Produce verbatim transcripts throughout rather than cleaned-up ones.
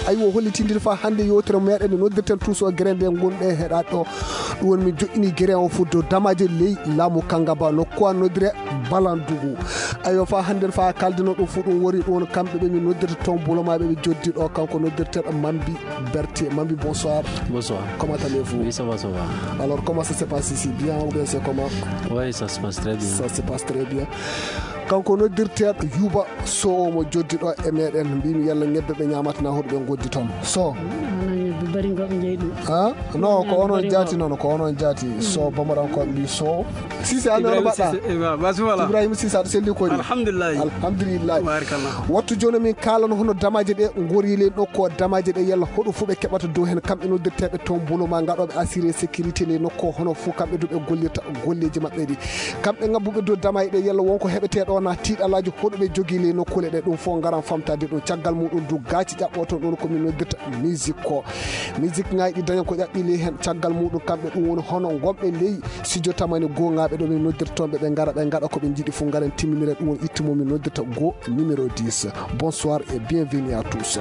Aywa, hollitindir fa hannde yewtere meɗen nde noddirten tuuso gere nde ngonɗen heɗaade ɗo. Ɗum woni min joɗɗini gere o fof dow damaje ley laamu Kangaba nokku a noddire Balandugu. Aywa, fa hannde fa kaldino ɗum fof ɗum woni ɗum kamɓe ɓe min noddirta toon Bulo ma ɓe ɓe joddi ɗo kanko noddirteɗo Mambi Bertier. Mambi, bonsoir. Bonsoir. Comment allez-vous? Oui, ça va, ça va. Alors, comment ça se passe ici? Bien ou bien c'est comment? Oui, ça se passe très bien. Ça se passe très bien. Kanko noddirteeɗo Yuba Sow mo joddi ɗo e meɗen, mbimi yalla ñebbe ɓe ñamata na hoɗo ɓe goddi toon. So. Wona ñebbe bari ngaɓe jeyi ɗum. Ha? No, ko onon jaati noon, ko onon jaati. So bamarankoɓe mbi so. Sise, an hono mbaɗɗa? Ibrahima Sise, eh, ba-, ba so wala. Ibrahima Sise, aɗa selli koɗi? Alhamdulillahi. Alhamdulillahi. Barakallah. Wattu jooni min kaalano hono damaje ɗe ngori ley nokku o, damaje ɗe yalla hoɗo fof ɓe keɓata dow heen, kamɓe noddirteeɓe toon Bulo ma ngaɗooɓe assuré sécurité ley nokku o, hono fof kamɓe du ɓe gollirta golleeji maɓɓe ɗi. Kamɓe ngabbuɓe dow damaje ɗe yalla wonko heɓetee ɗo na tiiɗalaaji hoɗo ɓe jogii ley nokkuule ɗe, ɗum fof ngaran famtaade ɗum. Caggal muɗum du gaaci ƴaɓɓo toon ɗum ko min noddirta musique ko. Musique ngaji ɗi daña ko ƴaɓɓi ley heen. Caggal muɗum kamɓe ɗum woni hono ngonɓe ley studio Tamani goo ngaɓe ɗo min noddirta toon ɓe, ɓe ngara ɓe ngaɗa ko ɓe njiɗi fof ngaren timminira ɗum woni itte mum min noddirta goo numéro dix. Bonsoir et bienvenue à tous.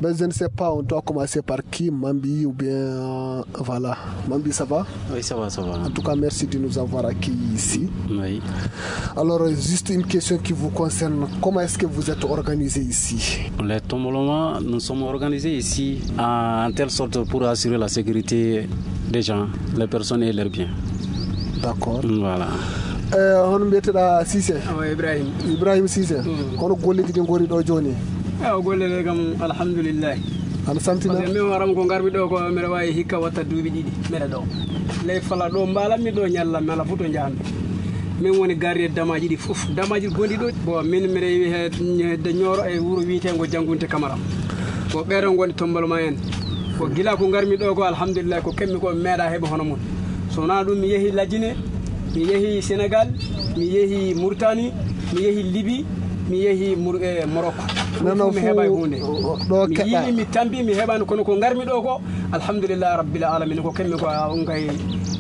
Ben, je ne sais pas, on doit commencer par qui, Mambi ou bien, euh, voilà. Mambi, ça va? Oui, ça va, ça va. En tout cas, merci de nous avoir accueillis ici. Oui. Alors, juste une question qui vous concerne. Comment est-ce que vous êtes organisé ici? Les Tomboloma, nous sommes organisés ici en, en telle sorte pour assurer la sécurité des gens, les personnes et leurs biens. D'accord. Voilà. Eh, hono mbiyeteɗa Cissé? Awa Ibrahima. Ibrahima Cissé. Mm. Hono golleji ɗi ngori ɗo joni? Ewa, golle ɗe kam, alhamdulillahi. Aɗa santina? Parce que min hooram ko ngarmi ɗo ko, mbeɗa wawi hikka watta duuɓi ɗiɗi mbeɗa ɗo. Ley fala ɗo mbalanmi ɗo ñalla mala fof to jahanmi. Min woni gardien damaji ɗi fof. Damaji gonɗi ɗo. Bon, min mbeɗa yewi he, hedde Ñooro e wuro wiyetengo Janngunte Kamara. Ko ɓeɗo ngoni Tomboloma en. Ko gila ko ngarmi ɗo ko, alhamdulillahi, ko kemmi ko mi meeɗa heɓa hono mum. So wonaa ɗum, mi yehi Ladine, mi yehi Sénégal, mi yehi Mauritanie, mi yehi Libi, mi yehi Mur-, eh, Morocco. Ɗum fof mi heɓaani huunde. Mi yiɗi, mi tampi, mi heɓaani, kono ko ngarmi ɗo ko, alhamdulillahi rabbil alamina, ko kemmi ko, a, on kay,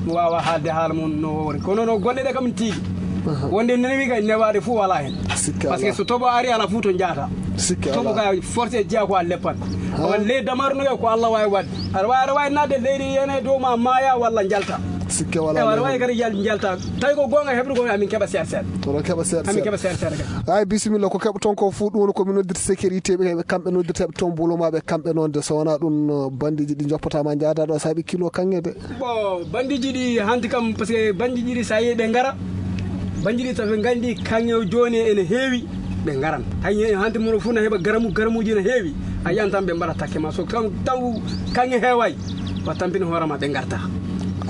mi waawa haalde haala mum no wowri. Kono no golle ɗe kam tigi. Aha. Wonde newi kay, newaade fof wala hen. Sikke alaa. Parce que so toɓo ari, ala fof to jaata. Sikke alaa. Toɓo ka forcé jeya ko a leppan. Ha? On ley damaru no ko Allah wawi wadde. Aɗa wawi, aɗa wawi nadde leydi ene dow ma maaya walla jalta. Sikke wala. Ewa, aɗa wawi kadi yal-, jalta. Tawi ko gonga heɓru ko amin keɓa seeɗa seeɗa. Oɗon keɓa seeɗa seeɗa. Amin keɓa seeɗa seeɗa kadi. Ay, bisimilla, ko keɓoton ko fuu ɗum woni ko min noddirta sécurité ɓe, kamɓe noddirteɓe toon Bulo ma ɓe, kamɓe noon de, so wona ɗum, no, bandiji ɗi joppata ma jaada ɗo saabi kilo kaŋŋe de. Bon, bandiji ɗi hanti kam, parce que bandiji ɗi sa yehi ɓe ngara, bandiji ɗi tawi ɓe nganndi kaŋŋe o jooni ene heewi, ɓe ngaran. Hay hanti muro fof na heɓa garamu, garamuji ne heewi. A yiyan tan ɓe mbaɗa takke ma. So taw, taw kaŋŋe heewaay, wa tampini hoore ma ɓe ngarta.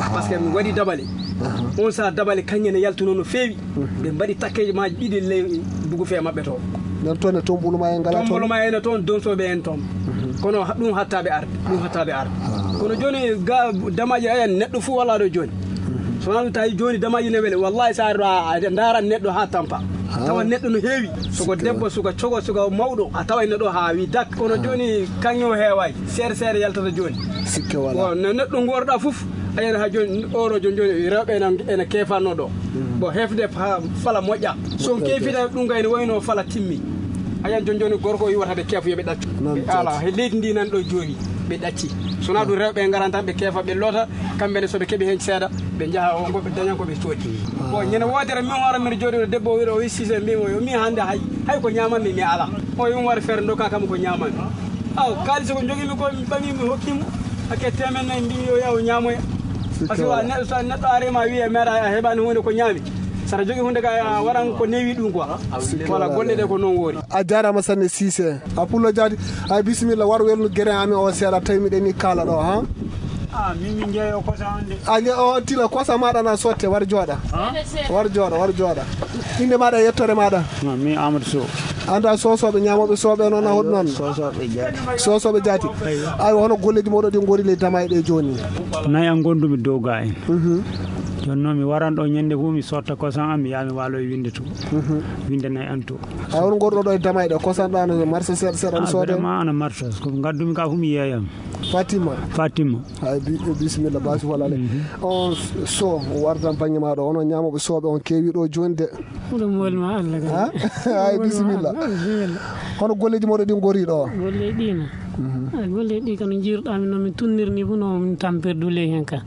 Ah. Parce que mi waɗi dabale. Aha. On sa dabale kaŋŋe ne yaltuno no feewi. Mhm. Ɓe mbaɗi takkeeji ma ɗiɗi ley bugu fee maɓɓe to. Nan toon e toon Bulo ma en ngala toon? Toon Bulo ma en e toon, donsoɓe en toon. Mhm. Kono ha-, ɗum hattaɓe arde, ɗum hattaɓe arde. Ah. Kono jooni ga damaji ayan neɗɗo fof wala ɗo jooni. Mhm. So wonaa ɗum tawi jooni damaji ne wele. Wallahi sa a, a ndaara neɗɗo ha tampa. Ah. Tawa neɗɗo no heewi. Soko debbo, suka cogo, suka mawɗo, a taway neɗɗo ha wi dak. Kono jooni kaŋŋe o heewaay. Seeɗa seeɗa yaltata jooni. Sikke wala. Bon, no neɗɗo ngorɗa fof, a yiyat ha jooni, oro jooni, jooni, rewɓe ena, ena keefanno ɗo. Mm. Bon, hefde fa-, fala moƴƴa. So on keefita ɗum kay ne wayno fala timmi. A yiyan jooni, jooni gorko o yiwata ɓe keefa yo ɓe ɗaccu. Noon tigi. Ala, he leydi ndi nan ɗo jooni, ɓe ɗacci. So wonaa ɗum rewɓe ngaran tan ɓe keefa, ɓe loota, kamɓe ne so ɓe keɓi heen seeɗa, ɓe njaha o, ko ɓe daña ko ɓe coodi. Ah. Bon, ñande wootere min hoore mbiɗa jooɗi ɗo, debbo o wiɗo o wi Sise, mbimi o, yo mi hannde hay, hay ko ñamanmi mi ala. O wi mi waɗa feere ndokka kam ko ñamanmi. Aw, kaalis ko njogimi ko mi ɓami mi hokki mo. Hakke teemen nayi mbimi yo yaw ñaamoya. Parce que wa neɗɗo, so neɗɗo ari ma wiye meeɗa a heɓani hunde ko ñaami. Sara jogi hunde ka a waɗan ko newi ɗum quoi. Voilà, golle ɗe ko noon woori. A jaaraama sanne Sise. A pullo jaadi. Ay bisimilla, war welnu gere amen o seeɗa tawi miɗen ni kaala ɗo, ha? Ah, min min jeeyo kosa on de. A je-, o tila kosa maɗa na sotte, war jooɗa. Ha? War jooɗa, war jooɗa. Innde maɗa e yettoore maɗa? Ah, min Amadou Sow. Anda Sosoɓe ñamoɓe soɓe noon a hoɗ noon? Sosoɓe jaati. Sosoɓe jaati. Aywa. Aywa, hono golleji moɗo ɗi ngori ley dama e ɗe jooni? Nayi an gondumi dow ga en. Mhm. Jooni noon mi waran ɗo ñande fof, mi sotta kosam am, mi yaha mi waalo e winde to. Windana en to. A on gorɗo ɗo e Damayɗe, kosam ɗa no marché seeɗa seeɗa no soode? Vraiment ana marché. Ko ngaddumi ka fof mi yeeyam. Fatima. Fatima. Ay, bi-, bisimilla, basi wala le. On so wardan bannge ma ɗo, onon ñaamoɓe sooɓe on keewi ɗo jooni de. Ɗum welma Allah kay. Ha? Ay, bisimilla. Bisimilla. Hono golleeji moɗo ɗin gori ɗo? Golle ɗi na. Ay, golle ɗi kano jiirɗa min no min tunnir ni fof no min tampir dule hen ka.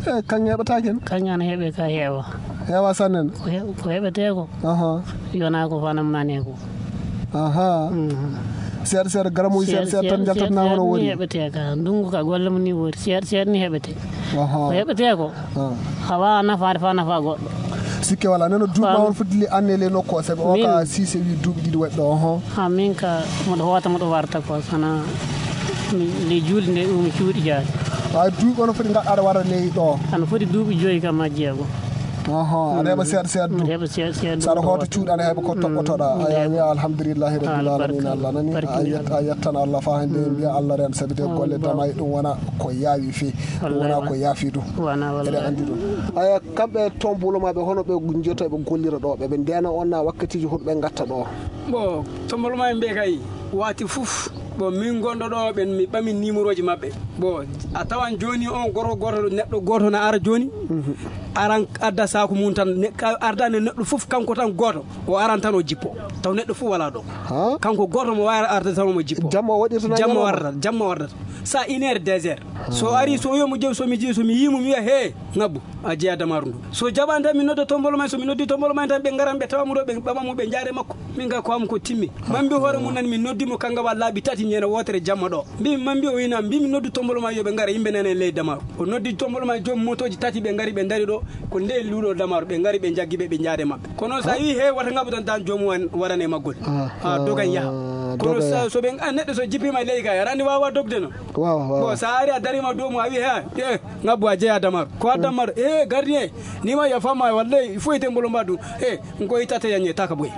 E, kan heɓataake en? Kan ana heɓe ka heewa. Heewa sannen? Ko he-, ko heɓetee ko. Aha. Yona ko fanam mane ko. Aha. Seeɗa seeɗa garamuji seeɗa seeɗa tan jaltatna hono woni. Heɓete ka ndungu ka golle mum ni wori seeɗa seeɗa ni heɓete. Aha. Ko heɓete ko. Ah. Hawa nafaade fa nafa goɗɗo. Sikke wala neno duuɓi ma on foti le anne le nokko sabi o ka sise wi duuɓi ɗiɗi waɗi ɗo. Oho. Ha min ka moɗo hoota moɗo warta ko sana le juulde nde ɗum cuuɗi jaari. A duuɓi on foti gaɗɗa aɗa wara ley ɗo. Ana foti duuɓi joyi kam a jeego. Aha, aɗa heɓa seeɗa seeɗa du. Aɗa heɓa seeɗa seeɗa du. Saɗa hoota cuuɗi aɗa heɓa ko toɓɓotoɗa. Aya wiya alhamdulillahi rabbil alamin, Allah nani. A yetta, a yettan Allah fa hande mbiya Allah ren sabi de golle dama e ɗum wona ko yaawi fi. Ɗum wona ko yaafi du. Eɗen andi ɗum. Aya kamɓe tombolo maɓe hono ɓe jiyata ɓe gollira ɗo ɓe ɓe ndena on na wakkatiji hoɗo ɓe gatta ɗo. Bon, tombolo maɓe mbe kay wati fof. Bon, min gonɗo ɗo ɓen mi ɓami numéroji maɓɓe. Bon, a tawan joni on gorko goto neɗɗo goto na ara joni. Aran adda saku mum tan ne-, ka ardani neɗɗo fof kanko tan goto o aran tan o jippo. Taw neɗɗo fof wala ɗo. Ha? Kanko goto mo wara arde tan mo jippo. Jamma waɗirta na jamma ñalawma? Wardata, jamma wardata. Sa une heure, deux heures. So ari so yomo jew so mi jew so mi yimo mi wiya he ngabbu a jeya damaru ndu. So jaɓani tan mi nodda tombolo may so mi noddi tombolo may tan ɓe ngaran ɓe tawa mo ɗo ɓe ɓama mo ɓe jaare makko. Min ga ko am ko timmi. Mambi hoore mum nan min noddi mo kanga wa laabi tati ñande wootere jamma ɗo. Mbi mambi o wina mbi mi noddu tombolo ma yo ɓe ngara yimɓe nana e ley damaru. O noddi tombolo ma joom motoji tati ɓe ngari ɓe ndari ɗo ko nde luuɗo damaru ɓe ngari ɓe jaggi ɓe ɓe jaade maɓɓe. Kono sa wi he wata ngabu tan dan joom wan warane maggol. Ah, dogan yaha. Kono sa so ɓe a neɗɗo so jippima e ley ga yarani wawa dogde no. Wawa wawa. Bon sa ari a darima dow mo a wi he e ngabbu a jeeya damaru ko a damaru e gardien ni ma ya famma wallahi foyte mbolo mbaɗu e Ngoy tata yañe taka boy.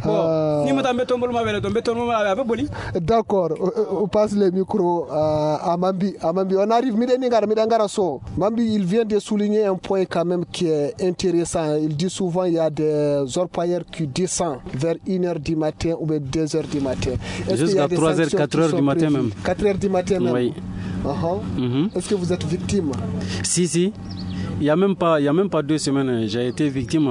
Bon, ni mata mbe tombol ma wele to mbe tombol ma wele boli. D'accord, on passe le micro à, à Mambi. À Mambi, on arrive miɗen ni ngara miɗen ngara so. Mambi, il vient de souligner un point quand même qui est intéressant. Il dit souvent il y a des orpailleurs qui descendent vers une heure du matin ou bien deux heures du matin. Jusqu'à trois heures, quatre heures du matin même. Quatre heures du matin même. Oui. Est-ce que vous êtes victime? Si, si. Il y a même pas, il y a même pas deux semaines, j'ai été victime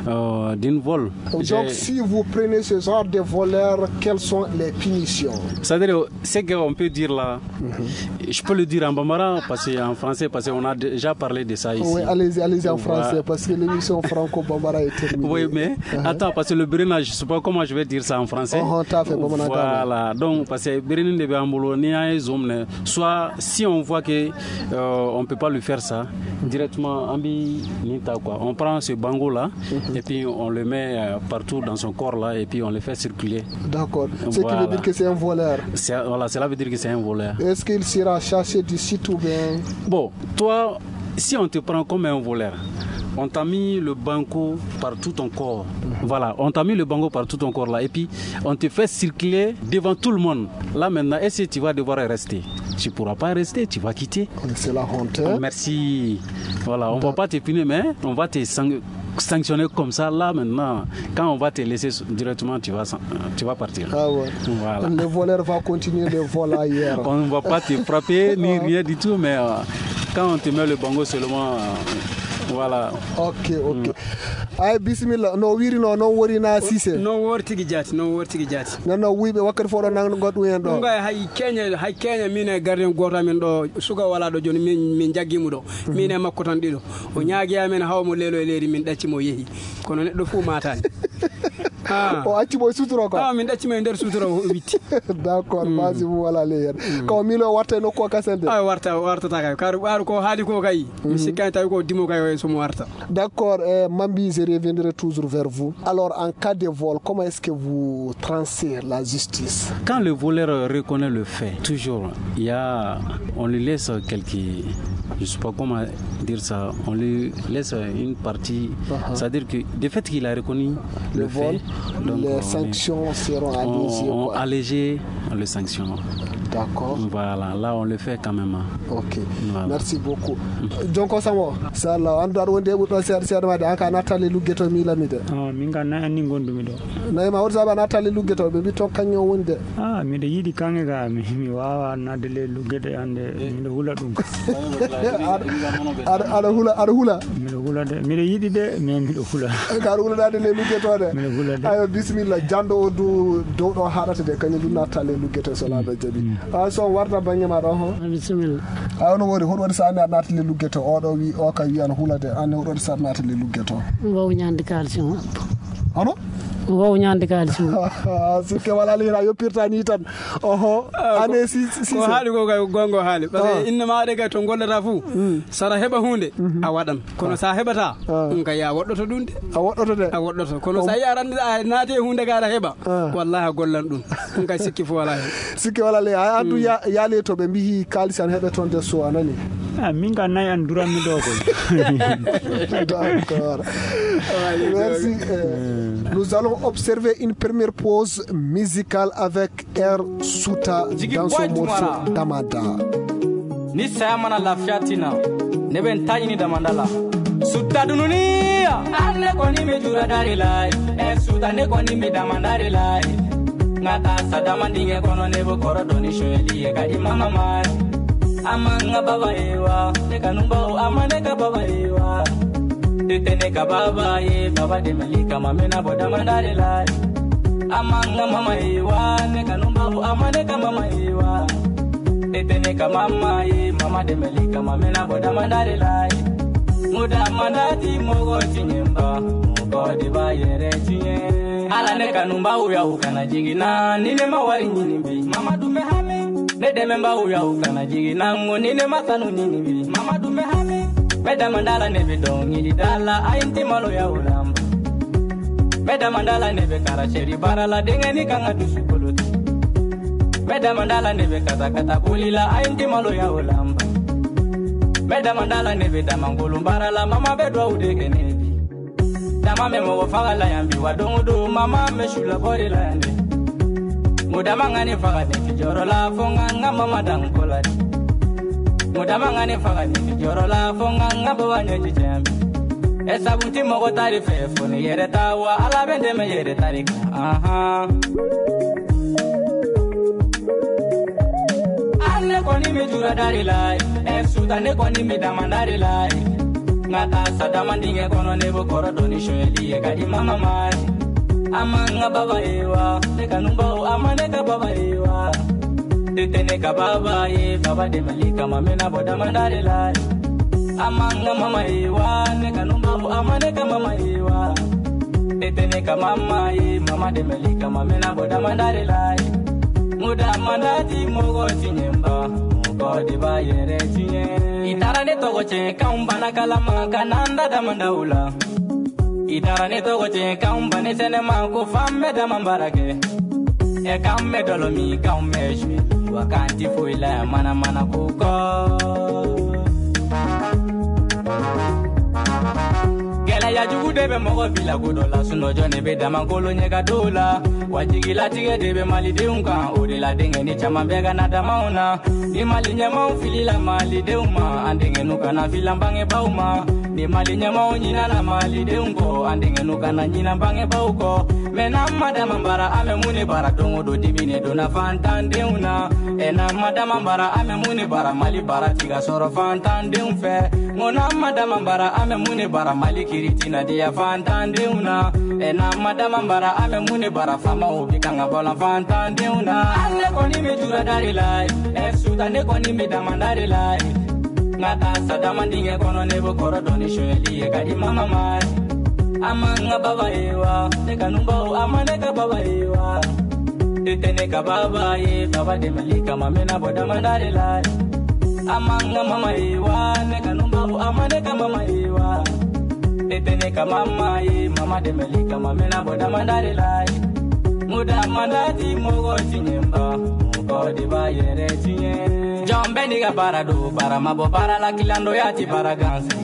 euh, d'une vol. Donc, si vous prenez ce genre de voleurs, quelles sont les punitions? C'est-à-dire, ce qu'on peut dire là, je peux le dire en bambara, parce qu'en français, parce qu'on a déjà parlé de ça ici. Oui, allez-y, allez-y en français, parce que l'émission franco-bambara est terminée. Oui, mais attends, parce que le brinage, je sais pas comment je vais dire ça en français. Voilà, donc, parce que brinage de Bambolo, ni a soit si on voit que euh, on peut pas lui faire ça, directement, on dit, quoi. On prend ce bango là et puis on le met euh, partout dans son corps là et puis on le fait circuler. D'accord. Ce qui veut dire que c'est un voleur. Voilà, cela veut dire que c'est un voleur. Est-ce qu'il sera chassé du site ou bien? Bon, toi, si on te prend comme un voleur, on t'a mis le banco par tout ton corps. Voilà, on t'a mis le banco par tout ton corps là et puis on te fait circuler devant tout le monde. Là maintenant, est-ce que tu vas devoir rester? Tu pourras pas rester, tu vas quitter. C'est la honte. Merci. Voilà, on va pas te punir, mais on va te sanctionner comme ça. Là maintenant, quand on va te laisser directement, tu vas, tu vas partir. Ah ouais. Voilà. Le voleur va continuer de voler ailleurs. On ne va pas te frapper ni rien du tout, mais euh, quand on te met le bango seulement, euh, voilà. Ok, ok. Ay bisimilla no wirino noon wori na sise. Noon wori tigi jaati noon wori tigi jaati. Noon no wuyɓe wakkati fof ɗo nangno goɗɗum en ɗo. Ɗum hay keña hay keña min e gardien gooto amen ɗo suka wala ɗo jooni min min jaggimo ɗo. Min e makko tan ɗiɗo o ñaagi amen hawa mo leelo e leydi min ɗacci mo yehi. Kono neɗɗo fof matani. O acci mo e sutura quoi. Awa min ɗacci mo e nder sutura o witti. D'accord, basi mum wala ley hen. Kawa milo watta e nokku o kasen de. Awa warta wartata kay kar ɓaaru ko haali ko kay. Mi sikkani tawi ko dimo kay o e somo warta. D'accord, eh, Mambi, je reviendrai toujours vers vous. Alors, en cas de vol, comment est-ce que vous trancez la justice? Quand le voleur reconnaît le fait, toujours, il y a, on lui laisse quelques Je sais pas comment dire ça. On lui laisse une partie. C'est-à-dire que, de fait qu'il a reconnu le, le vol, fait, donc, les sanctions seront allégées, allégées, les sanctions. D'accord. Voilà, là, on le fait quand même. Ok. Voilà. Merci beaucoup. Jonko Samo, sallah, an do aɗa wondi e ɓurɗo seeɗa seeɗa maɗa, an ka natta le lugge to mi lamide. Ah, min ka na anni gondumi ɗo. Nayi ma wodi saɓa natta le lugge to, ɓe mbi toon kañum woni de. Ah, miɗo yiɗi kaŋŋe ka, mi, mi waawaa naatde ley lugge ɗe, annde miɗo hula ɗum. Aɗa, aɗa, aɗa hula, aɗa hula? Miɗo hula de, miɗo yiɗi de, mais miɗo hula. Ka aɗa hula naatde ley lugge to de? Miɗo hula de. Ayo, bisimilla, janɗo o du, dow ɗo haɗata de, kañum du natta ley lugge to, so laaɓe jaɓi. A so warta bannge ma ɗo, ho? Bisimilla. A, ono woni, hoɗo waɗi sa anni aɗa naata ley lugge to? O ɗo wi, o ka wi ana hula de, anne hoɗo waɗi sa aɗa naata ley lugge to? Mbaw ñande kaalisi mo abbo. Hono? Mbaw ñande kaalisi mo. Sikke wala lira, yoppirta ni tan. Oho. Ah, ane ko, si, si, ko si. Haali ko kay, gongo haali. Parce que, ah, inna ma waɗe kay to gollata fu, mm, sara heɓa hunde, mhm, a waɗan. Kono, ah, sa heɓata, ah, ɗum kay ya woɗɗoto ɗum de. A woɗɗoto de. A woɗɗoto. Kono, oh, sa yi aran a naati e hunde ka aɗa heɓa, ah, wallahi a gollan ɗum. Ɗum kay sikki fu wala hen. Sikki wala le. Ay, andu, mm, ya, yaali to ɓe mbihi kaalis an heɓe toon de so a nani. Ah, min ka nayi an duran mi ɗo koy. D'accord. Merci. Euh, nous allons observer une première pause musicale avec Air Suta dans son morceau Damanda. Ni saya mana lafiya tina, ne bɛ n ta ɲini damanda la. Suta dununiya. An ne kɔni bɛ jura dari la, ɛ, Suta ne kɔni bɛ damanda de la. N ka taa sa dama dingɛ kɔnɔ, ne bɛ kɔrɔ dɔɔni sonyali ye ka di mama ma. A ma n ka baba ye wa, ne kanubaw, a ma ne ka baba ye wa. E tɛ ne ka baba ye, baba dɛmɛli kama, n bɛna bɔ damanda de la. A ma n ka mama ye wa, ne kanubaw, a ma ne ka mama ye wa. E tɛ ne ka mama ye, mama dɛmɛli kama, n bɛna bɔ damanda de la. N ko damanda ti mɔgɔ tiɲɛba, mɔgɔ de b'a yɛrɛ tiɲɛ. Ala ne kanubaw y'aw kana jigin na, ni ne ma wari ɲini bi. Mama dun bɛ hami, ne dɛmɛbaw y'aw kana jigin na, n ko ni ne ma sanu ɲini bi. Mama dun bɛ hami, bɛ damanda la, ne bɛ dɔnkili da la, a ye n ti maloya o la. N bɛ damanda la, ne bɛ karasɛri baara la, denkɛni kan ka dusukolo ta. N bɛ damanda la, ne bɛ katakata boli la, a ye n ti maloya o la. N bɛ damanda la, ne bɛ damankolo baara la, mama bɛ dugawu de kɛ ne ye bi. Dama bɛ mɔgɔ faga la yan bi, wa don o don, mama bɛ su labɔ de la yan de. N ko dama n ka ne faga ne tɛ jɔyɔrɔ la, fo n ka n ka mama dan ko la de. N ko dama n ka ne faga ne tɛ jɔyɔrɔ la, fo n ka n ka baba ɲɛji cɛ yan bi. Ɛ sabu tɛ mɔgɔ ta de fɛ, fo ne yɛrɛ ta, wa Ala bɛ n dɛmɛ yɛrɛ ta de kan. Ahan. An ne kɔni bɛ jura da de la, ɛ Suta ne kɔni bɛ damanda de la. N ka taa sa dama dingɛ kɔnɔ, ne bɛ kɔrɔ dɔɔni sonyali ye ka di mama ma. A ma n ka baba ye wa, ne kanubaw, a ma ne ka baba ye wa. E tɛ ne ka baba ye, baba dɛmɛli kama, n bɛna bɔ damanda de la. A ma n ka mama ye wa, ne kanubaw, a ma ne ka mama ye wa. E tɛ ne ka mama ye, mama dɛmɛli kama, n bɛna bɔ damanda de la. N ko damanda ti mɔgɔ tiɲɛba, mɔgɔ de b'a yɛrɛ tiɲɛ. I taara ne tɔgɔ tiɲɛ, k'anw bana kalama, ka n'an da damanda o la. I taara ne tɔgɔ tiɲɛ, k'anw bane sɛnɛma, ko fan bɛ dama baara kɛ. Ɛ, k'an bɛ dɔlɔ min, k'anw bɛ suɲɛ, wa k'an ti foyi la yan, mana mana ko kɔ. Gɛlɛya jugu de bɛ mɔgɔ bila ko dɔ la, sunɔjɔ ne bɛ damakolo ɲɛ ka don la, wa jigilatigɛ de bɛ malidenw kan, o de la denkɛni caman bɛ ka na damaw na. Ni Mali ɲɛmaaw filila Malidenw ma, an denkɛnu kana filan bangebaaw ma. Ni Mali ɲɛmaaw ɲinana Malidenw kɔ, an denkɛnu kana ɲinan bangebaaw kɔ. Mais n'an ma dama baara, an bɛ mun de baara don o don? Dibi ne donna fantandenw na. Ɛ, n'an ma dama baara, an bɛ mun de baara? Mali baara ti ka sɔrɔ fantandenw fɛ. N ko n'an ma dama baara, an bɛ mun de baara? Mali kiri tina diya fantandenw na. Ɛ, n'an ma dama baara, an bɛ mun de baara? Faamaw bi kan ka bɔlɔn fantandenw na. An ne kɔni bɛ jura da de la, ɛ Suta ne kɔni bɛ damanda de la. N ka taa sa dama dingɛ kɔnɔ, ne bɛ kɔrɔ dɔɔni sonyali ye ka di mama ma. A ma n ka baba ye wa, ne kanubaw, a ma ne ka baba ye wa. E tɛ ne ka baba ye, baba dɛmɛli kama, n bɛna bɔ damanda de la. A ma n ka mama ye wa, ne kanubaw, a ma ne ka mama ye wa. E tɛ ne ka mama ye, mama dɛmɛli kama, n bɛna bɔ damanda de la. N ko damanda ti mɔgɔ tiɲɛba, Kodiba yɛrɛ tiɲɛ. Jɔn bɛ n'i ka baara don, baara ma bɔ baara la, kilandoya ti baara gansan.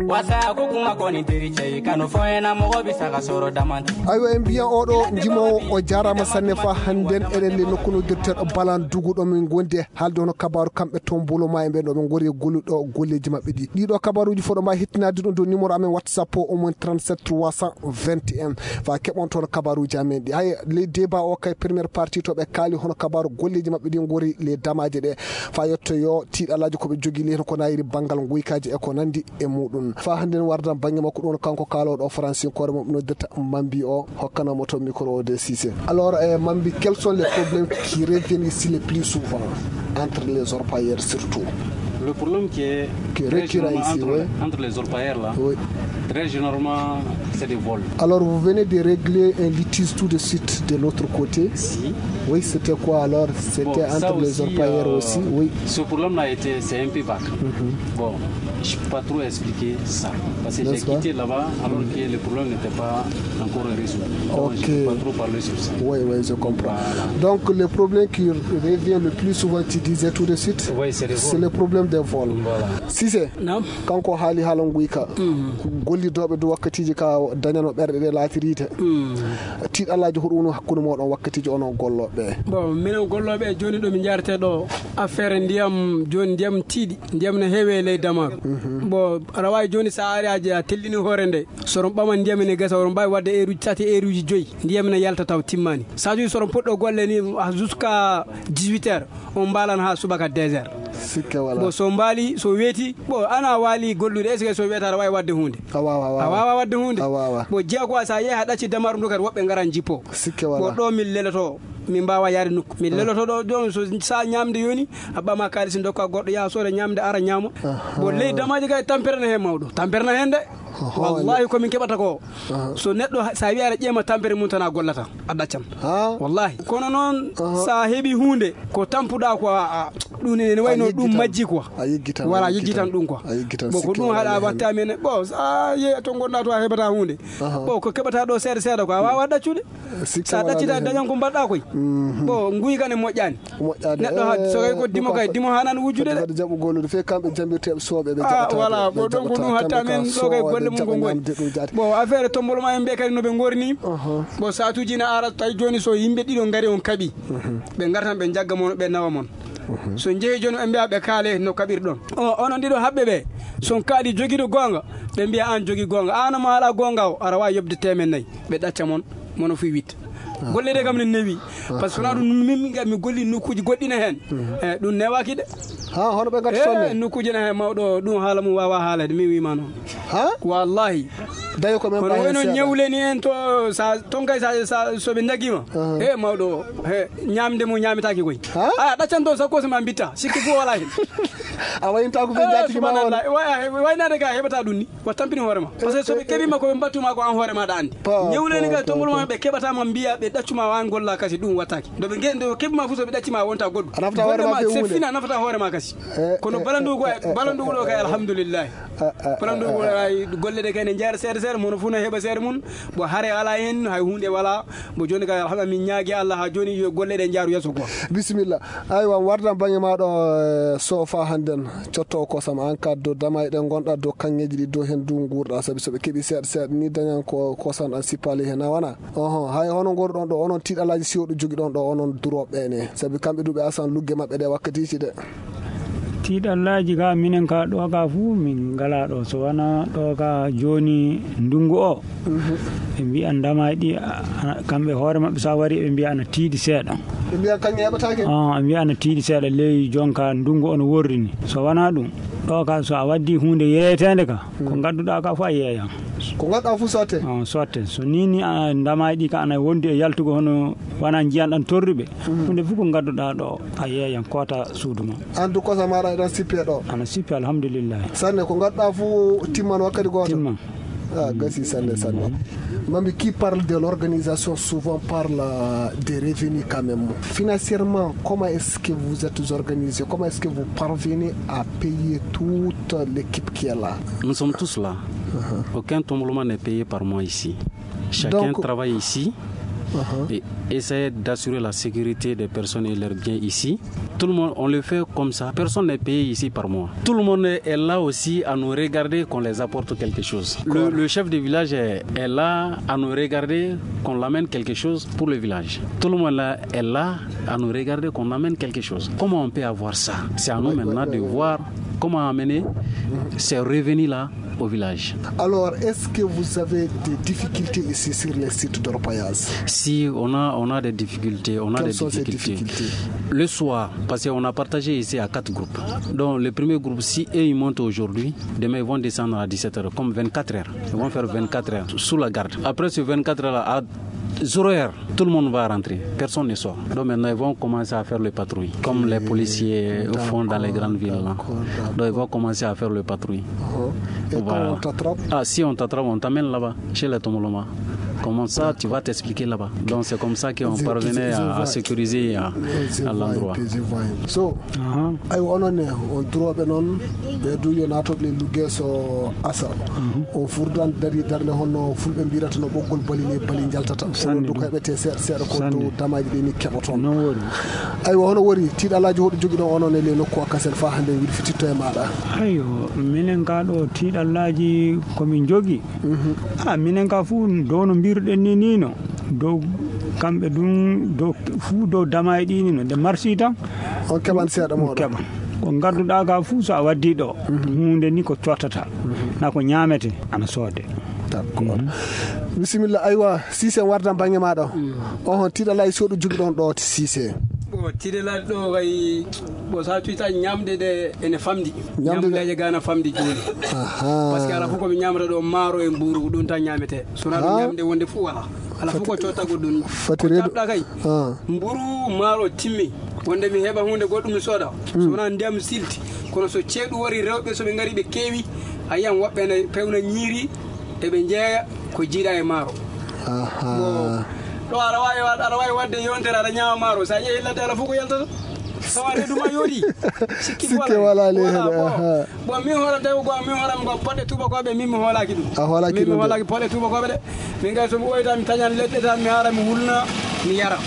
Wasa ko kuma kɔni teri cɛ ye, kanu fɔ n ɲɛna, mɔgɔ bɛ sa ka sɔrɔ dama tɛ. Aywa, en mbiyan oɗo njimowo o jarama sanne fa hannden eɗen le nokkuno dirter balan duguɗo min gondi e haalde hono kabaru kamɓe toon bolo ma en ɓen ɗo ɓe ngori e golluɗo golleji maɓɓe ɗi. Ɗiɗo kabaruji fof ɗo mbawi hettinade ɗum dow numéro amen WhatsApp o, au moins trente-sept trois cent vingt et un. Fa keɓon toon kabaruji amen ɗi. Hay ley débat o kay première partie to ɓe kaali hono kabaru golleji maɓɓe ɗi ngori les damaji ɗe. Fa yetto yo tiiɗalaji ko ɓe jogui ley ko nayiri banngal guykaji e ko nandi e muɗum. Fa hannde en wardan bannge makko ɗum kanko kaaloɗo o Faransi koore mum noddata Mambi o hokkana mo to micro o de Cissé. Alors, euh, Mambi, quels sont les problèmes qui reviennent ici le plus souvent entre les orpailleurs surtout? Le problème qui est qui est très récurrent ici, entre, oui, entre les orpailleurs là, oui, très généralement, c'est des vols. Alors, vous venez de régler un litige tout de suite de l'autre côté. Si. Oui, c'était quoi alors? C'était bon, entre les aussi, orpailleurs euh, aussi, oui. Ce problème-là, était, c'est un peu vague. Mhm. Bon, je ne peux pas trop expliquer ça. Parce que j'ai quitté là-bas alors que le problème n'était pas encore résolu. Donc, je ne peux pas trop parler sur ça. Oui, oui, je comprends. Voilà. Donc, le problème qui revient le plus souvent, tu disais tout de suite, oui, c'est le problème des vols. Voilà. Cissé, kanko haali haala nguyka. Gollidooɓe du wakkatiiji ka dañano ɓerɗe ɗe laatiride. Tiiɗalaaji hoɗum woni hakkunde mooɗon wakkatiiji onon gollooɓe ɓe? Bon, minen gollooɓe ɓe jooni ɗo min njaretee ɗo affaire ndiyam, jooni ndiyam tiiɗi, ndiyam ne heewi e ley Damaru. Bon, aɗa waawi jooni so a ari a je-, a tellini hoore nde, so oɗon ɓama ndiyam ene gasa, oɗon mbaawi waɗde heure uji tati, heure uji joyi, ndiyam ene yalta taw timmaani. Sahaatuuji so oɗon puɗɗo golle ni, ah, jusqu'à dix-huit heures, on mbaalan haa subaka deux heures. Sikke wala. Bon, so mbaali, so weeti, bon, ana waali gollude, est-ce que so weeta aɗa waawi waɗde huunde? A waawa, a waawa. A waawa waɗde huunde. A waawa. Bon, jeya ko sa yeehi a ɗacci Damaru ndu kadi woɓɓe ngaran jippo. Sikke wala. Bon, ɗo min leloto, min mbaawa yaade nokku. Min leloto ɗo, ɗon so sa ñamde yoni, a ɓama kaalis ndokka goɗɗo yaha sooda ñamde ara ñaamo. Aha. Bon, ley Damaji kay tampere na heen mawɗo. Tampere na heen de. Oho, wallahi ko min keɓata ko. Aha. So neɗɗo ha-, sa wi aɗa ƴeema tampere mum tan a gollata. A ɗaccan. Ha? Wallahi. Kono noon, aha, sa heɓi huunde, ko tampuɗa ko a, a, ɗum ene wayno ɗum majji quoi. A yiggitan, wala a yiggitan ɗum quoi. A yiggitan. Bon, ko ɗum haɗa watta men. Bon, sa yeehi to ngonɗa to a heɓata huunde. Aha. Bon, ko keɓata ɗo seeɗa seeɗa ko a wawa ɗaccude. Sa ɗaccita dañan ko mbaɗɗa koy. Mhm. Bon, nguyka ne moƴƴani. Moƴƴani. Neɗɗo ha, eh, so kay ko dimo kay, dimo hanan wujjude de. Jaɓu gollude fe kamɓe jambirteɓe soɓe ɓe jaɓata. Wala, ko ɗon ko ɗum hatta men ɗo kay golle mum ko ngoy. Bon, affaire tombolo ma en ɓe kadi no ɓe ngorni. Aha. Bon, satuji na ara tawi joni so yimɓe ɗiɗo ngari on kaɓi. Mhm. Ɓe ngartan ɓe jagga mon, ɓe nawa mon. Mhm. So jeehi joni ɓe mbiya ɓe kaale no kaɓirɗon. O, onon ɗiɗo haɓɓe ɓe, son kaali jogiɗo goonga, ɓe mbiya an jogi goonga. An mo haala goonga o, aɗa wawi yobde temen nayi. Ɓe ɗacca mon, mono fuy witte. Ah. Golle ɗe kam ne newi. Ah, par ce que na ɗum min, min, mi golli nokkuji goɗɗi ne hen. Mhm. Eh, ɗum newaki de. Ha, hono ɓe gatti sonne? Eh, nokkuji ne hen mawɗo, ɗum haala mum wawa haalade, mi wima noon. Ha? Wallahi. Dayo ko men kono ɓahen wayno seeɗa. Ñewleni en to, sa, ton kay sa, sa, so ɓe dagima. Ah. He, mawɗo o, he, ñamde mo ñamitaki koy. Ha? A, ɗaccan toon sakko so ma mbitta, sikki fof wala hen. A wayinta ko ɓe jaatigi ma on. Subhanallah. Wa-, waynade ka heɓata ɗum ni. Wa tampini hoore ma. Parce que so ɓe keɓima ko ɓe mbattuma ko an hoore ma ɗa andi. Pa, ñewleni pa, ka pa, tombol ma pa. Ɓe keɓata ma mbiya ɓe ɗaccuma wa an golla kasi ɗum wattaki. Do ɓe nge-, do keɓima fof so ɓe ɗaccima wonta goɗɗum. A nafata hoore ma be huunde. Fina nafata hoore ma kasi. Eh, kono eh, balandu ko, eh, eh, balandu eh, ɗo kay eh, alhamdulillah. Eh, eh, balandu eh, ko eh, ay golle ɗe kay ne jeera seeɗa seeɗa, mono fof na heɓa seeɗa mum. Bon, hare ala hen, hay huunde wala. Bon, joni kay alhamdulillah, min ñaagi Allah ha joni yo golle ɗe jaaru yeeso quoi. Bisimilla. Aywa, wardan bangge ma ɗo, eh, so fa hannden. Cotto kosam an ka dow dama e ɗen gonɗa dow kaŋŋeeji ɗi dow hen du nguurɗa, sabi so ɓe keɓi seeɗa seeɗa ni dañan ko kosan an sippali hen, a wana? Oho, hay hono ngorɗon ɗo onon tiiɗalaaji siwɗo jogiɗon ɗo onon durooɓe ɓe ne, sabi kamɓe du ɓe asan lugge maɓɓe ɗe wakkatiiji ɗe. Tiiɗalaaji ka minen ka ɗo ka fuu min ngalaa ɗo, so wana ɗo ka jooni ndungu o. Mhm. Ɓe mbiya ndamaaji ɗi, a, a, kamɓe hoore maɓɓe so a wari ɓe mbiya ana tiiɗi seeɗa. Ɓe mbiya kaŋŋe heɓataake? Ah, ɓe mbiya ana tiiɗi seeɗa ley jonka ndungu ono worri ni. So wanaa ɗum, ɗo ka so a waddi huunde yeeyeteende ka, ko ngadduɗaa ka fof a yeeyan. Ko ngadduɗaa fof sotte? Ah, sotte. So ni ni a ndamaaji ɗi ka ana wondi e yaltugo hono wanaa njiyan ɗan torri ɓe. Mhm. Huunde fof ko ngadduɗaa ɗo a yeeyan koota suudu ma. An du kosa maɗa eɗan sippe ɗo? Ana sippe, alhamdulillahi. Sanne, ko ngadduɗaa fof timman wakkati gooto? Timman. Ah, gasi sanne, sanne. Mambi, qui parle de l'organisation souvent parle, euh, des revenus quand même. Financièrement, comment est-ce que vous êtes organisé? Comment est-ce que vous parvenez à payer toute l'équipe qui est là? Nous sommes tous là. Uh-huh. Aucun tomblement n'est payé par mois ici. Chacun donc travaille ici. et essayer d'assurer la sécurité des personnes et leurs biens ici. Tout le monde, on le fait comme ça. Personne n'est payé ici par mois. Tout le monde est là aussi à nous regarder qu'on les apporte quelque chose. Le, le chef de village est, est là à nous regarder qu'on l'amène quelque chose pour le village. Tout le monde là est là à nous regarder qu'on amène quelque chose. Comment on peut avoir ça ? C'est à nous maintenant de voir comment amener ces revenus-là au village. Alors, est-ce que vous avez des difficultés ici sur les sites d'orpaillage ? Si, on a, on a des difficultés. On a des difficultés. Le soir, parce qu'on a partagé ici à quatre groupes. Donc, le premier groupe, si eux, ils montent aujourd'hui, demain, ils vont descendre à dix-sept heures, comme vingt-quatre heures. Ils vont faire vingt-quatre heures sous la garde. Après ces vingt-quatre heures-là, à zéro heure, tout le monde va rentrer. Personne ne sort. Donc maintenant, ils vont commencer à faire le patrouille. Comme les policiers font dans les grandes villes là. Donc ils vont commencer à faire le patrouille. Et quand on t'attrape ? Ah, si on t'attrape, on t'amène là-bas, chez les Tomoloma. Comment ça, tu vas t'expliquer là-bas ? Donc c'est comme ça qu'on parvenait à, à sécuriser à, à l'endroit. So, aywa, onon ne, on durooɓe noon, ɓe du yo naatooɓe lugge so asar. On furdan dari darnde honno fulɓe mbirata no ɓoggol bali ni bali njaltata. Onon du ko heɓete seeɗa seeɗa ko dow damaaji ɗi ni keɓoton. Aywa, hono wori, tiiɗalaaji hoɗo jogi ɗon onon e le nokku o kasen fa hannde wiɗi fititto e maaɗa? Aywa, minen ka ɗo tiiɗalaaji ko min jogi. A, minen ka fuu dow no mbiruɗen ni, ni no. Dow kamɓe ɗum, dow fuu dow damaaji ɗi ni no. Nde marsi tan, on keɓan seeɗa mooɗon. Keɓan. Ko ngadduɗaa ka fuu so a waddii ɗo, huunde ni ko cottata. Na ko ñaamete, ana soode. D'accord. Bisimilla, aywa, Sise, wardan baŋŋe maaɗa. Ohon, tiiɗalaaji soɗu jogi ɗon ɗo, Sise. Bon, tiiɗalaaji ɗo kay, bon, so a tuuyta ñaamde ɗe ene famɗi. Ñaamde ɗe. Ñaamleeje ga na famɗi jooni. Aha. Parce que ala fof ko mi ñaamata ɗo maaro e mbuuru, ko ɗum tan ñaametee. So na ɗum ñaamde wonde fof wala. Ala fof ko cottagol ɗum. Fati ko reedu. Caɗɗa kay. Ah. Mburu, maaro timmi. Wonde mi heɓa huunde goɗɗum mi sooda. So wonaa ndiyam silti. Kono so ceeɗu wari rewɓe so ɓe ngari ɓe keewi, a yiyan woɓɓe ene pewna ñiiri, eɓe njeeya ko jiiɗa e maaro. Aha. Bon, ɗo aɗa waawi wa-, aɗa waawi waɗde yontere aɗa ñaama maaro. So a yehi ladde ala fof ko yaltata. Tawa reedu ma yooɗi. Sikki sikke walaa ley heen, aha. Bon, min hooram tawi ko min hooram ko poɗɗe tuubakooɓe, min mi hoolaaki ɗum. A hoolaaki ɗum de. Min mi hoolaaki poɗɗe tuubakooɓe de. Min kay so mi ɓooyi tan mi tañan leɗɗe tan mi haara mi wulna mi yara.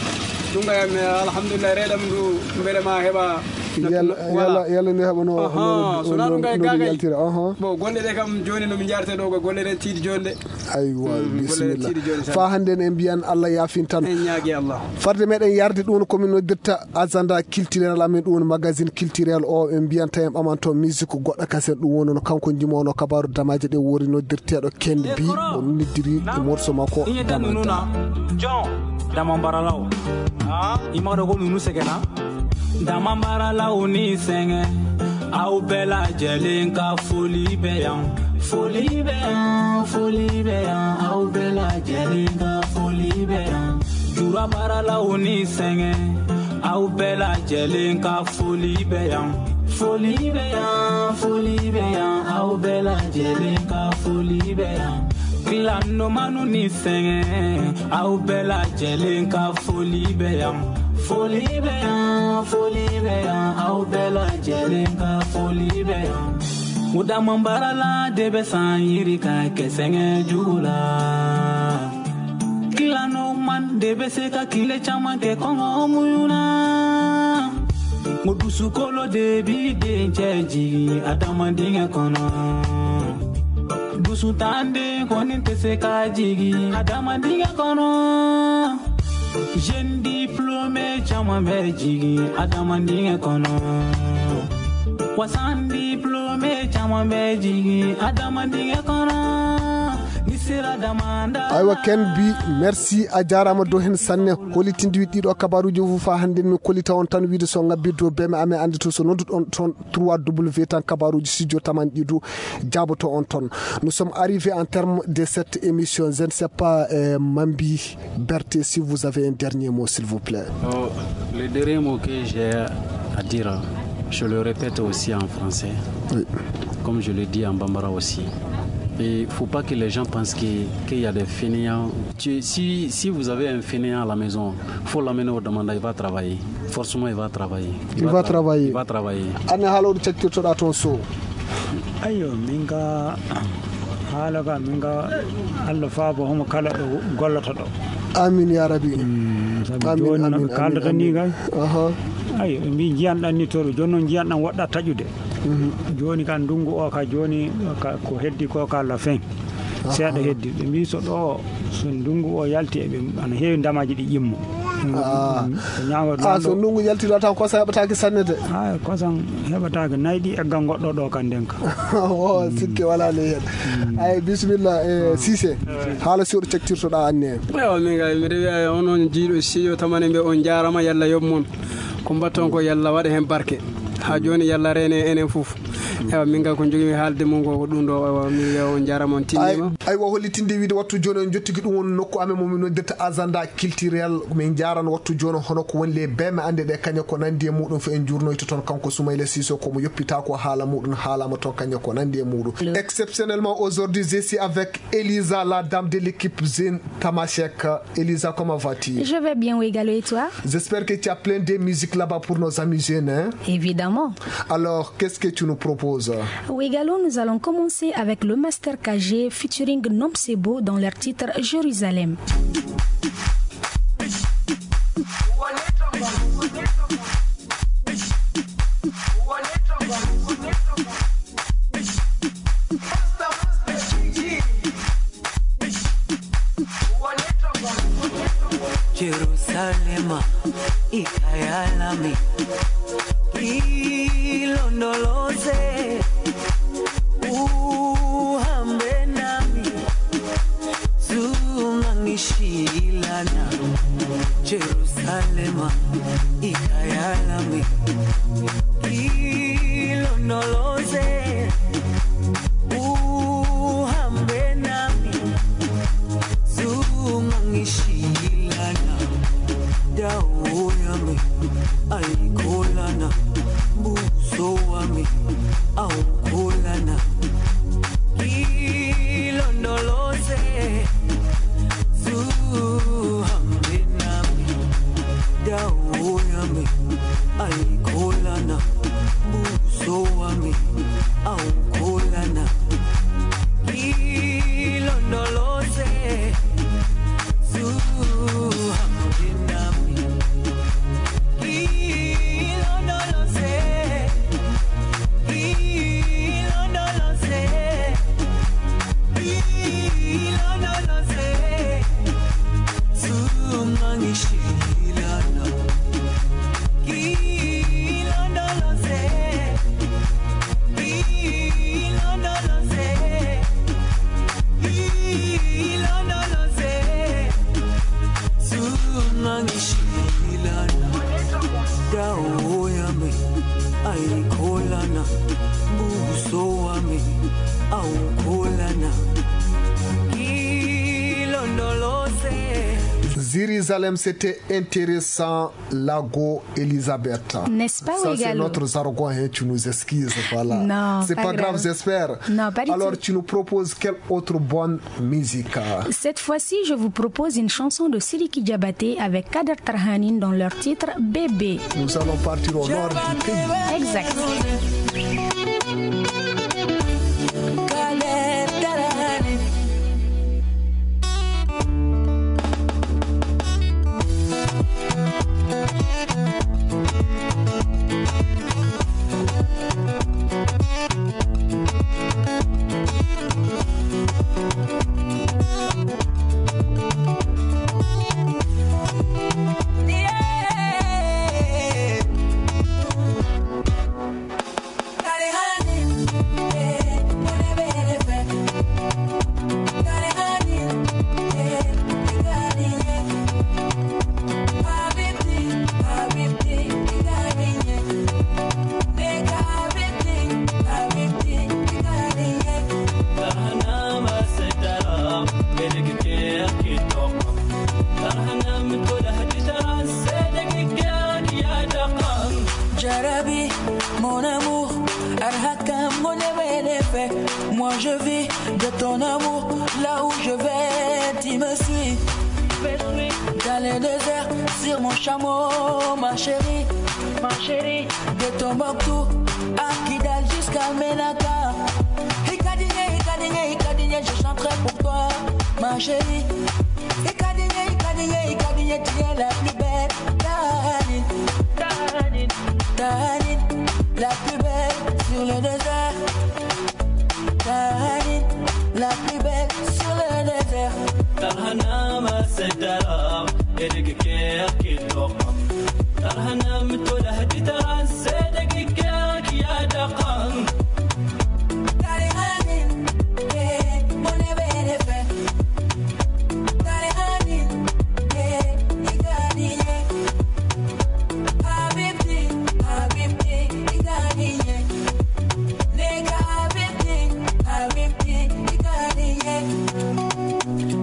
Ɗum kay mi alhamdulillah reeɗam ndu mbele ma heɓa. Yalla, yalla, yalla ndu heɓa no, aha, no, so na no, ɗum kay no ga ɗum kay. Yaltira, aha. Bon, golle ɗe kam jooni no mi jaarte ɗo ko golle ɗen tiiɗi jooni de. Aywa, bisimilla. Fa hannde en mbiyan Allah yaafin tan. En ñaagi Allah. Farde meɗen yarde ɗum ko min noddirta agenda culturel amen, ɗum magazine culturel o, en mbiyanta en ɓamanto musique goɗɗo kasen ɗum woni no kanko jimono kabaru damaje ɗe wori noddirteɗo Ken Bi, o noddiri e morceau makko Damanda. Jon, Damambaralaw. Imaɗo ko nunu segena. Damambaralaw ni senge. Aw bɛɛ lajɛlen ka foli bɛ yan, foli bɛ yan, foli bɛ yan. Aw bɛɛ lajɛlen ka foli bɛ yan. Jurabaralaw ni sɛgɛn, aw bɛɛ lajɛlen ka foli bɛ yan, foli bɛ yan, foli bɛ yan. Aw bɛɛ lajɛlen ka foli bɛ yan. Kilandomanu ni sɛgɛn, aw bɛɛ lajɛlen ka foli bɛ yan, foli bɛ yan, foli bɛ yan. Aw bɛɛ lajɛlen ka foli bɛ yan. Udamambarala de bɛ san yiri ka kɛ sɛgɛn jugu la. Tilano man de bɛ se ka tile caman kɛ kɔngɔ muɲu na. N ko dusukolo de bi dencɛ jigin adamadenkɛ kɔnɔ. Dusu tanden kɔni tɛ se ka jigin adamadenkɛ kɔnɔ. Jeune diplômé caman bɛ jigin adamadenkɛ kɔnɔ. Wasan diplômé caman bɛ jigin adamadenkɛ kɔnɔ. Ni sera damanda. Aywa, Ken Bi, merci, a jaaraama dow heen sanne. Hollitinde wiɗ ɗiɗo kabaruuji fof faa hannde min kollita on tan wiide so ngabbi dow beme amen annde to so nodduɗon toon trois W tan kabaruuji studio taman ɗiɗo jaaboto on toon. Nous sommes arrivés en terme de cette émission. Je ne sais pas, euh, Mambi Berté, si vous avez un dernier mot, s'il vous plaît. Oh, le dernier mot que j'ai à dire, je le répète aussi en français, oui, comme je le dis en bambara aussi. Il faut pas que les gens pensent que, qu'il y a des fainéants. Tu, si, si vous avez un fainéant à la maison, faut l'amener au Damanda, il va travailler. Forcément, il va travailler. Il va travailler. Il va travailler. Anne, haala ɗo caktirtoɗa toon so. Ayyo, min ka haala ka, min ka Allah faabo homo kala ɗo gollata ɗo. Amin ya rabi. Sabu amin, jooni noon kaldata ni kay. Aha. Ay, ɓe mbi njiyan ɗan ni toru, jooni noon njiyan ɗan woɗɗa taƴude. Jooni kan ndungu o ka jooni ka, ko heddi ko ka la fin. Seeɗa heddi. Ɓe mbi so ɗo, so ndungu o yalti, eɓe ana heewi ndamaji ɗi ƴimmo. Ah. Ko ñaawo ah, so ndungu yalti ɗo tan, kosa heɓataake sanne de. Ah, kosan heɓataake. Nayi ɗi eggan goɗɗo ɗo kan nden ka. O sikke wala ley hen. Ay, bisimilla, eh, Sise. Haala seeɗa caktirtoɗa anne. Ewa, min ga mbiɗa wiya onon jiiɗo studio tamane mbe on jarama, yalla yoɓ mon. Ko mbatton ko, yalla waɗa hen barke. Ha joni yalla rene enen fof. Ewa, min ga ko jogimi haalde mon ko, ko ɗum ɗo, ewa, min wiya on jarama, on tinnima. Ay, aywa, hollitinde wiide wattu joni on jottiki ɗum won nokku amen mo min noddirta agenda culturel. Min jarano wattu joni hono ko woni les beme ande ɗe kañe ko nandi e muɗum fo en jurnoyto toon kanko Soumaïla Cissokho mo yoppita ko haala muɗum haalama toon kañe ko nandi e muɗum. Exceptionnellement aujourd'hui je suis avec Elisa, la dame de l'équipe Zen Tamashek. Elisa, comment vas-tu? Je vais bien, Wegalo, et toi? J'espère que tu as plein de musique là-bas pour nous amuser, hein? Évidemment. Alors, qu'est-ce que tu nous proposes? Wegalo, nous allons commencer avec le Master K G featuring Nom Sebo dans leur titre Jérusalem. Jerusalema, ikayalami, ilondoloze, uhambe nami, zungangishilana. Jerusalema, ikayalami, ilondoloze, uhambe nami, zungangishilana. Dawoyami, aikolana, buso wami, aukolana. Kilondoloze, zuhambe nami, dawoyami, aikolana, buso wami, aukolana. Kilondoloze, zuhambe nami. Ilondoloze, ilondoloze, ilondoloze, zungangishilana. Ilondoloze, ilondoloze, ilondoloze, zungangishilana. Dawoyami, aikolana, buso wami, aukolana. Ilondoloze. Jérusalem, c'était intéressant. Lago Elisabeth. N'est-ce pas, ça, c'est Wegalo? Notre jargon, hein, tu nous excuses, voilà. Non, c'est pas grave, j'espère. Non, pas du tout. Alors, tu nous proposes quelle autre bonne musique? Cette fois-ci, je vous propose une chanson de Sidiki Diabaté avec Kader Tarhanin dans leur titre Bébé. Nous allons partir au nord du pays. Exact. Jarabi, mon amour, arhakam, mon ebe, ebe, moi je vis de ton amour, là où je vais, tu me suis. Dans les déserts, sur mon chameau, ma chérie, ma chérie. De Tombouctou à Kidal jusqu'à Menaka. Hikadinye, hikadinye, hikadinye, je chanterai pour toi, ma chérie. Hikadinye, hikadinye,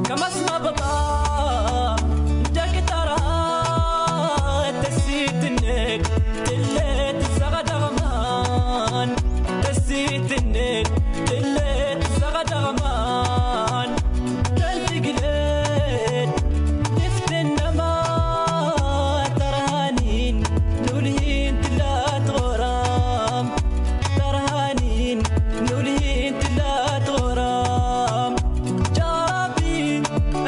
Kamas ma baba, dakitara, tesitine, tele, tisagadaman, tesitine, tele, tisagadaman, tantigile, niftinama, taranin, nulhin, tilat, goram, taranin, nulhin, tilat, goram. Jarabi,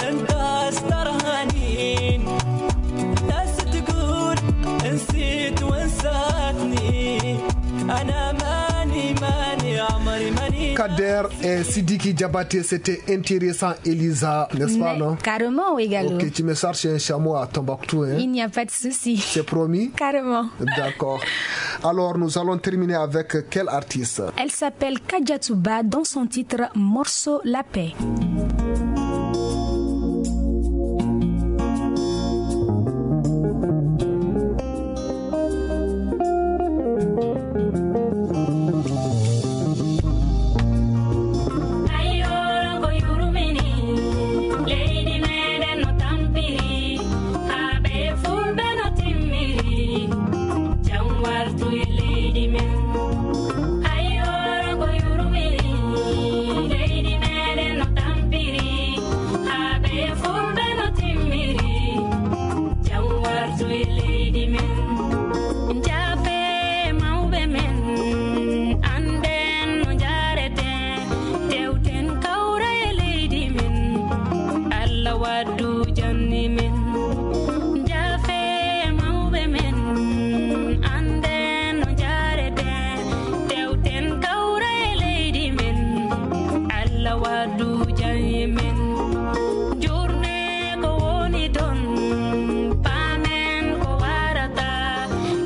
entas tarhanin. Las tgul, ensit wensatni. Ana mani, mani, amari mani. Kader et Sidiki Diabaté, c'était intéressant, Elisa, n'est-ce pas, non? Carrément, oui, Galo. Ok, tu me cherches un chameau à Tombouctou, hein? Il n'y a pas de souci. C'est promis? Carrément. D'accord. Alors, nous allons terminer avec quel artiste? Elle s'appelle Kadiatou Ba dans son titre Morceau La Paix. Ayo, ko yurumini, leydi meɗen no tampiri, haa ɓe fulɓe no timmiri, jam wartu e leydi men. Ayo, ko yurumini, leydi meɗen no tampiri, haa ɓe fulɓe no timmiri, jam wartu e leydi men. Njaafe mawɓe men, annden no njaarete, tewten kawra e leydi men. Allah waddu janni men. Njaafe mawɓe men, annden no njaarete, tewten kawra e leydi men. Allah waddu janni men. Njurne ko woni ton, paamen ko warata,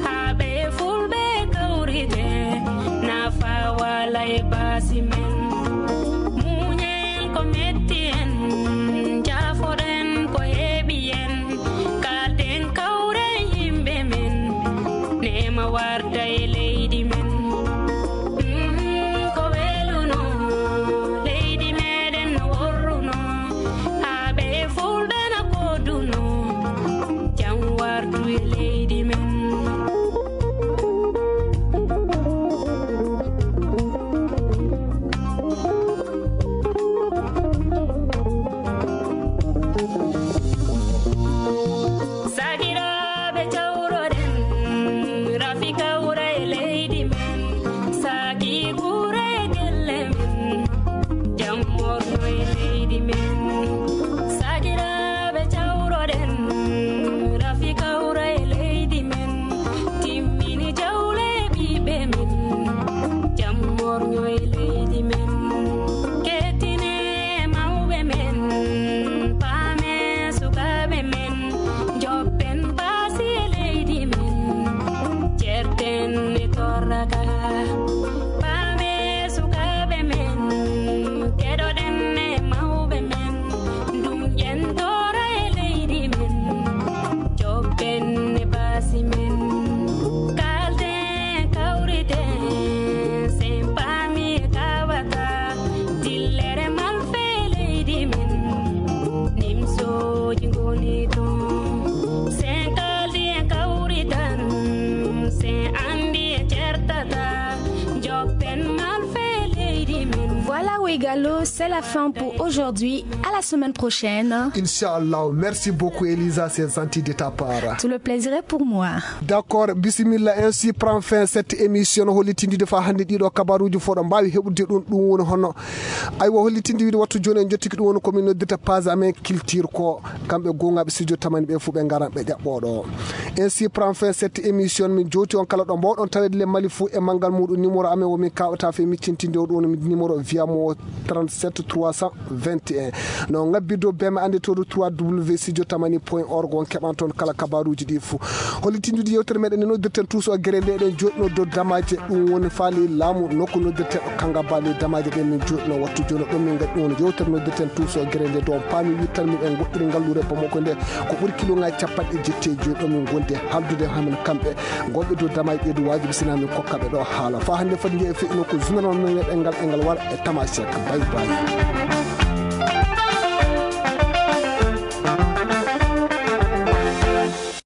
haa ɓe fulɓe kawrite, nafa wala e baasi men. Muñen ko metti en, njaafoɗen ko heeɓi en, kalden kawre yimɓe men, neema warta e leydi men. Mhm, ko weluno, leydi meɗen no worruno, haa ɓe fulɓe na koduno, jam wartu e leydi men. Sakiraaɓe cawroɗen, rafi kawra e leydi men, saki kura e gelle men, jam worno e leydi men. Sakiraaɓe cawroɗen, rafi kawra e leydi men, timmini jawle e ɓiɓɓe men, jam worno e leydi men. Kettine mawɓe men, paame sukaaɓe men, joppen paasi e leydi men, certen e torraka. Paame sukaaɓe men, keɗoɗen e mawɓe men, nduñƴen toora e leydi men, joppen e baasi men, kaalden kawriten, sen paami e kawata, dillere malfe e leydi men, nimsooji ngoni ton, sen kaaldi en kawritan, sen anndi en certata, joppen malfe e leydi men. Voilà, Wegalo, c'est la fin pour aujourd'hui. À la semaine prochaine. Inch'Allah. Merci beaucoup, Elisa. C'est gentil de ta part. Tout le plaisir est pour moi. D'accord. Bisimilla. Ainsi prend fin cette émission. Hollitinde fa hannde ɗiɗo kabaruuji fof ɗo mbaawi heɓude ɗum, ɗum woni hono. Aywa, hollitinde wiide wattu jooni en njottiki ɗum woni ko min noddirta page amen culture ko. Kamɓe goongaaɓe studio tamani ɓe fof ɓe ngaran ɓe ƴaɓɓoo ɗo. Ainsi prend fin cette émission. Min jowti on kala ɗo mbaawɗon taweede le Mali fof e manngal muɗum. Numéro amen o min kaawata fe miccintinde o ɗum woni numéro via mo trente-cinq sept trois cent vingt et un. No ngabbi dow beme ande to dow trois w studio tamani point org, on keɓan toon kala kabaruuji ɗi fuu. Hollitindude yewtere meɗen, nde noddirten tuuso gere nde, eɗen jooɗino dow damaaje, ɗum woni faali laamu nokku noddirteeɗo Kangaba. Ley damaaje ɗen min jooɗino wattu jooni ɗon min ngaɗi won yewtere noddirten tuuso gere nde, dow on paami wittan min en goɗɗiri ngalluure Bamako nde. Ko ɓuri kiloŋaaji capanɗe jetti e joyi ɗo min ngondi haaldude hamin kamɓe. Gonɓe dow damaaji ɗi du waajibi sina min kokkaɓe ɗo haala. Faa hannde foti nde e feƴƴino ko journal men meɗen ngal, e ngal wara e Tamasek. Bye bye.